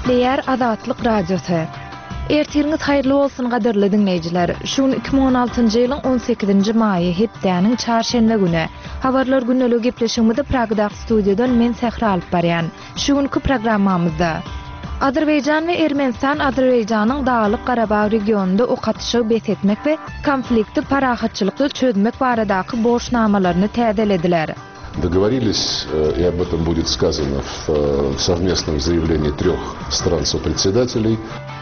Gepleýär Azatlyk Radiosy. Ertiriňiz haýyrly bolsun gadyrly diňleýjiler. Şu gün 2016-njy ýylyň 18-nji maýy, hepdäniň çarşenbe güni. Habarlar gündeligi gepleşigimizi Pragadaky studiýadan men Sähra alyp barýan. Şu günki programmamyzda. Azerbaýjan we Ermenistan Azerbaýjanyň Daglyk-Garabag regionynda ok atyşygy bes etmek we konflikti parahatçylykly çözmek baradaky borçnamalaryny täzelediler. Dogovorились, и об этом будет сказано в совместном заявлении трех стран-сопредседателей.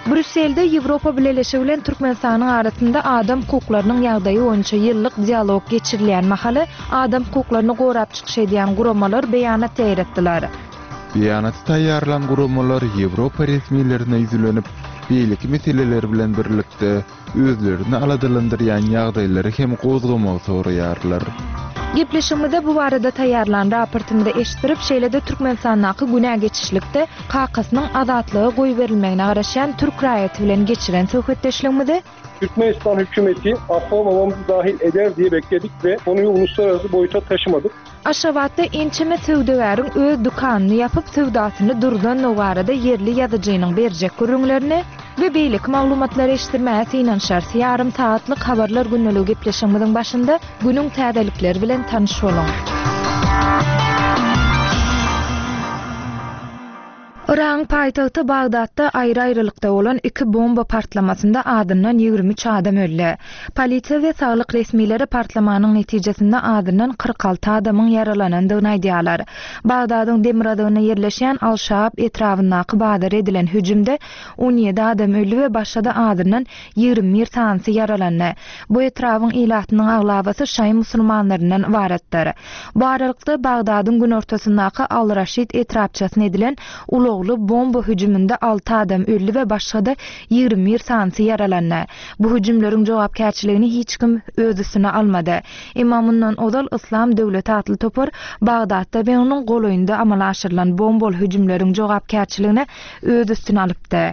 Brýusselde Ýewropa Bileleşigi bilen Türkmenistanyň arasynda adam hukuklarynyň ýagdaýy boýunça ýyllyk dialog geçirilýän mahaly adam hukuklaryny gorap çykyş edýän guramalar beýanat ýaýratdylar. Beýanaty taýýarlan guramalar Ýewropa resmilerine ýüzlenip, beýleki meseleler bilen birlikde, özlerini aladalandyrýan ýagdaýlary hem gozgamagy soraýarlar. Gepleşigimizde bu barada taýýarlan raportymyzy eşitdirip, şeýle-de Türkmenistandaky günä geçişlikde kakasynyň azatlyga goýberilmegine garaşýan türk raýaty bilen geçiren söhbetdeşligimizi, Türkmenistan hükümeti affa babamızı dahil eder diye bekledik ve konuyu uluslararası boyuta taşımadık. Aşgabatda ençeme söwdagäriň öz dükanyny ýapyp, söwdasyny durzandygy barada ýerli ýazyjynyň berjek gürrüňlerini we beýleki maglumatlary eşitdirmäge synanyşarys. Ýarym sagatlyk Habarlar gündeligi gepleşigimiziň başynda günüň täzelikleri bilen tanyş boluň. Yragyň paýtagty Bagdatda aýry-aýrylykda bolan iki bomba partlamasynda azyndan 23 adam öldi. Polisiýa we saglyk resmileri partlamanyň netijesinde azyndan 46 adamyň ýaralanandygyny aýdýarlar. Bagdadyň demirgazygynda ýerleşýän Al-Şaab etrabyndaky bazara edilen hüjümde 17 adam öldi we başga-da azyndan 21 sanysy ýaralandy. Bu etrabyň ilatynyň aglabasy şaýy musulmanlaryndan ybaratdyr. Bu aralykda, Bagdadyň günortasyndaky Al-Raşid etrapçasyna edilen ulagly bomba hüjüminde alty adam öldi we başga-da 21 sanysy ýaralandy. Bu hüjümleriň jogapkärçiligini hiç kim öz üstüne almady. Emma mundan ozal Yslam döwleti atly topar Bagdatda we onuň golaýynda amala aşyrylan bombaly hüjümleriň jogapkärçiligini öz üstüne alypdy.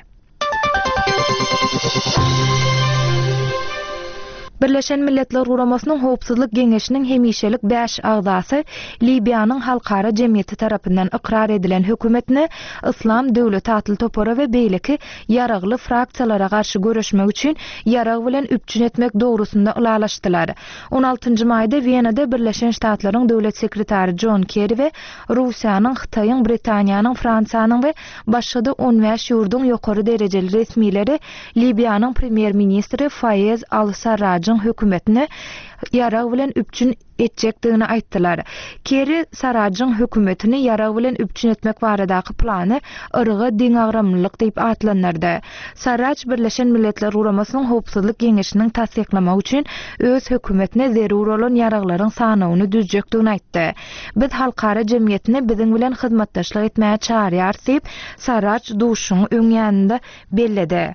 Birleşen Milletler Guramasynyň Howpsuzlyk Geňeşiniň hemişelik bäş agzasy Liwiýanyň halkara jemgyýeti tarapyndan ykrar edilen hökümetine Yslam döwleti atly topara we beýleki ýaragly fraksiýalara garşy göreşmek üçin ýarag bilen üpjün etmek dogrusynda ylalaşdylar. On altynjy maýda Wenada Birleşen Ştatlaryň Döwlet sekretary Jon Kerri we Russiýanyň, Hytaýyň, Britaniýanyň, Fransiýanyň we Başga-da 15 ýurduň ýokary derejeli resmileri Liwiýanyň premýer-ministri Faýez al-Sarrajyň hökümetini ýarag bilen üpjün etjekdigini aýtdylar. Kerri Sarrajyň hökümetini ýarag bilen üpjün etmek baradaky plany yryga deňagramlylyk diýip atlandyrdy. Sarraj Birleşen Milletler Guramasynyň Howpsuzlyk Geňeşiniň tassyklamagy üçin öz hökümetine zerur bolan ýaraglaryň sanawyny düzjekdigini aýtdy. Biz halkara jemgyýetini biziň bilen hyzmatdaşlyk etmäge çagyrýarys diýip, Sarraj duşuşygyň öň ýanynda belledi.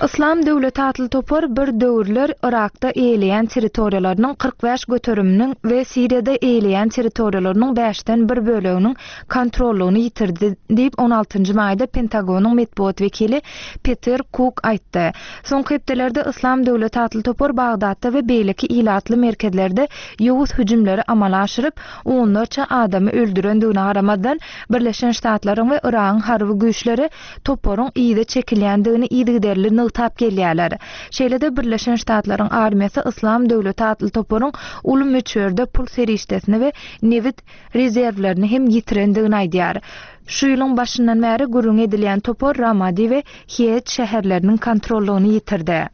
Yslam döwleti atly topar bir döwürler Yrakda eýeleýän territoriýalarynyň 45 göteriminiň we Siriýada eýeleýän territoriýalarynyň bäşden bir böleginiň kontrollygyny ýitirdi diýip, on altynjy maýda Pentagonyň metbugat wekili Peter Kuk aýtdy. Soňky hepdelerde Yslam döwleti atly topar Bagdatda we beýleki ilatly merkezlerde ýowuz hüjümleri amala aşyryp, onlarça adamy öldürendigine garamazdan, Birleşen Ştatlaryň we Yragyň harby güýçleri toparyň yza çekilýändigini yzygiderli nygtap gelýärler. Şeýle-de Birleşen Ştatlaryň armiýasy Yslam döwleti atly toparyň uly möçberde pul serişdesini we nebit rezerwlerini hem ýitirendigini aýdýar. Şu ýylyň başyndan bäri gürrüňi edilýän topar Ramadi we Hiet şäherleriniň kontrollygyny ýitirdi.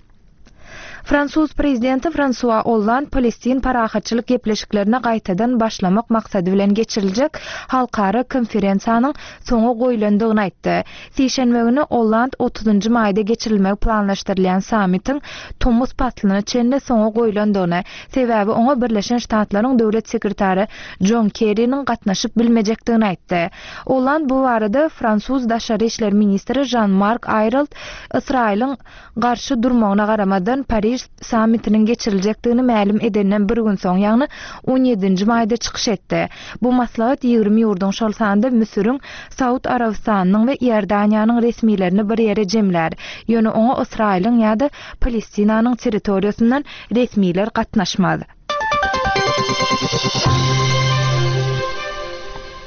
Fransuz prezidenti Fransua Olland palestin parahatçylyk gepleşiklerine gaýtadan başlamak maksady bilen geçiriljek halkara konferensiýanyň soňa goýlandygyny aýtdy. Sişenbe güni Olland otuzynjy maýda geçirilmegi planlaşdyrylýan sammitiň tomus paslyna çenli soňa goýlandygyny, sebäbi oňa Birleşen Ştatlaryň Döwlet sekretary Jon Kerriniň gatnaşyp bilmejekdigini aýtdy. Olland bu barada fransuz daşary işler ministri Žan-Mark Aýrold Ysraýylyň garşy durmagyna garamazdan Pariž sammitiniň geçiriljekdigini mälim edenden bir gün soň, ýagny on ýedinji maýda çykyş etdi. Bu maslahat 20 ýurduň, şol sanda Müsüriň, Saud Arabystanynyň we Iordaniýanyň resmilerini bir ýere jemlär. Ýöne oňa Ysraýylyň ýa-da Palestinanyň territoriýasyndan resmiler gatnaşmaz.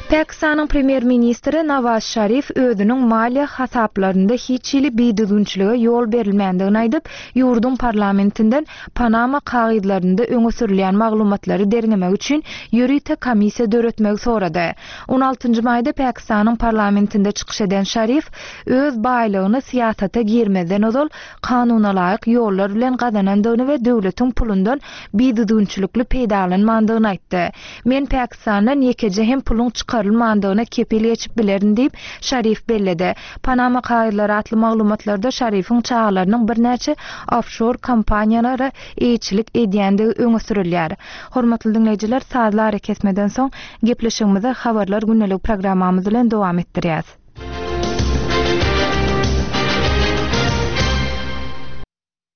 Pakistanyň premýer-ministri Nawaz Şarif özüniň maliýe hasaplarynda hiç hili bidüzgünçilige ýol berilmändigini aýdyp, ýurduň parlamentinden Panama kagyzlarynda öňe sürülýän maglumatlary derňemek üçin ýörite komissiýa döretmegi sorady. On altynjy maýda Pakistanyň parlamentinde çykyş eden Şarif öz baýlygyny syýasata girmezden ozal kanunalaýyk ýollar bilen gazanandygyny we döwletiň pulundan bidüzgünçilikli peýdalanmandygyny aýtdy. Men Pakistandan ýekeje hem puluň çykarylmandygyna kepil geçip bilerin diýip, Şarif belledi. Panama kagyzlary atly maglumatlarda Şarifiň çagalarynyň birnäçe ofşor kompaniýalara eýeçilik edýändigi öňe sürülýär. Hormatly diňleýjiler, sazly arakesmeden soň, gepleşigimizi Habarlar gündeligi programmamyz bilen dowam etdirýäs.